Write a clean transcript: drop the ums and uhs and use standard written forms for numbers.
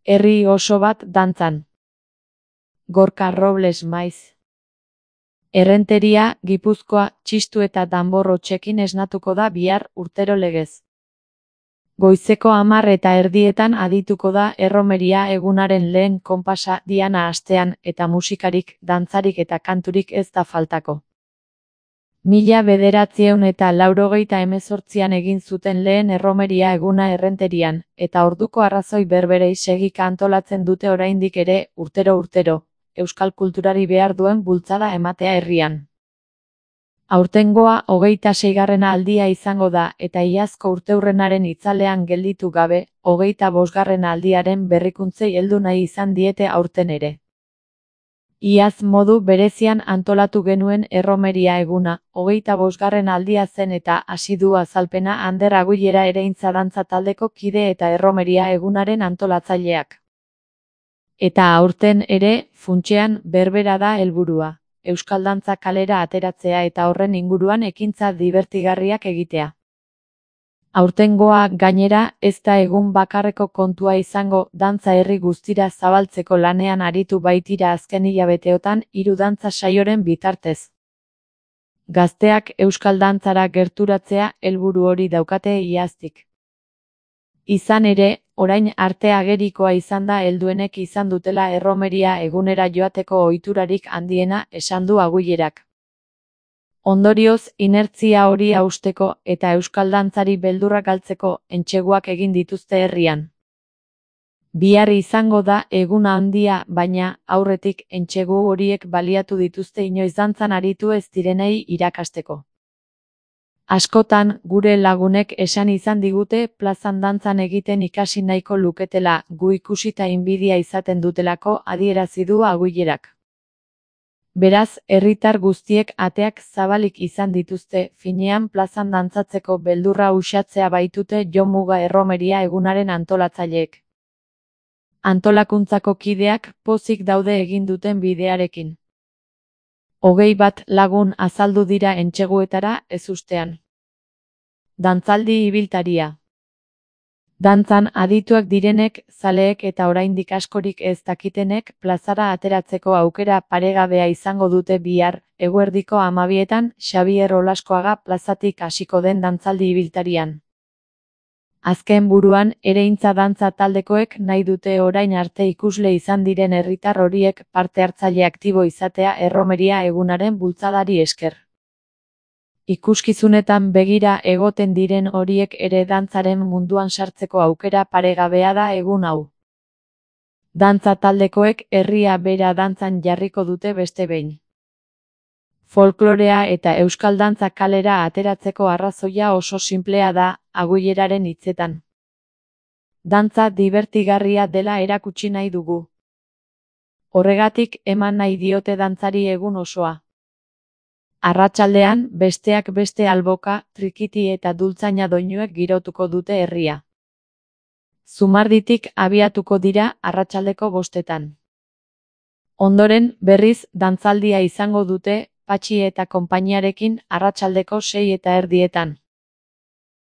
Herri oso bat dantzan. Gorka Robles maiz. Errenteria, Gipuzkoa, txistu eta danbor hotsekin esnatuko da bihar urtero legez. Goizeko 10:30 adituko da erromeria egunaren lehen konpasa diana astean eta musikarik, dantzarik eta kanturik ez da faltako. 1988an egin zuten lehen erromeria eguna Errenterian, eta orduko arrazoi berberei segika antolatzen dute oraindik ere, urtero, euskal kulturari behar duen bultzada ematea herrian. Aurtengoa 26. aldia izango da eta iazko urteurrenaren itzalean gelditu gabe, 25. aldiaren berrikuntzei heldu nahi izan diete aurten ere. Iaz modu berezian antolatu genuen erromeria eguna, 25. aldia zen eta hasi du azalpena Ander Aguilera Ereintza dantza taldeko kide eta erromeria egunaren antolatzaileak. Eta aurten ere, funtsean, berbera da helburua, euskal dantza kalera ateratzea eta horren inguruan ekintza dibertigarriak egitea. Aurtengoa, gainera, ez da egun bakarreko kontua izango, dantza herri guztira zabaltzeko lanean aritu baitira azken hilabeteotan 3 dantza saioren bitartez. Gazteak euskal dantzara gerturatzea helburu hori daukate iaztik. Izan ere, orain arte agerikoa izan da helduenek izan dutela erromeria egunera joateko ohiturarik handiena, esan du Aguilerak. Ondorioz, inertzia hori hausteko eta euskal dantzari beldurra galtzeko entseguak egin dituzte herrian. Bihar izango da eguna handia, baina, aurretik entsegu horiek baliatu dituzte inoiz dantzan aritu ez direnei irakasteko. Askotan, gure lagunek esan izan digute plazan dantzan egiten ikasi nahiko luketela, gu ikusita inbidia izaten dutelako adierazi du Aguilerak. Beraz, herritar guztiek ateak zabalik izan dituzte, finean plazan dantzatzeko beldurra uxatzea baitute jomuga erromeria egunaren antolatzaileek. Antolakuntzako kideak pozik daude egin duten bidearekin. 21 lagun azaldu dira entseguetara ezustean. Dantzaldi ibiltaria. Dantzan adituak direnek, zaleek eta oraindik askorik ez dakitenek plazara ateratzeko aukera paregabea izango dute bihar, eguerdiko 12etan Xabier Olaskoaga plazatik hasiko den dantzaldi ibiltarian. Azken buruan, Ereintza dantza taldekoek nahi dute orain arte ikusle izan diren herritar horiek parte hartzaile aktibo izatea erromeria egunaren bultzadari esker. Ikuskizunetan begira egoten diren horiek ere dantzaren munduan sartzeko aukera paregabea da egun hau. Dantza taldekoek herria bera dantzan jarriko dute beste behin. Folklorea eta euskal dantza kalera ateratzeko arrazoia oso sinplea da, Aguileraren hitzetan. Dantza dibertigarria dela erakutsi nahi dugu. Horregatik eman nahi diote dantzari egun osoa. Arratsaldean, besteak beste alboka, trikiti eta dultzaina doinuek girotuko dute herria. Zumarditik abiatuko dira arratsaldeko 5etan. Ondoren, berriz, dantzaldia izango dute, Patxi eta konpainiarekin arratsaldeko 6:30.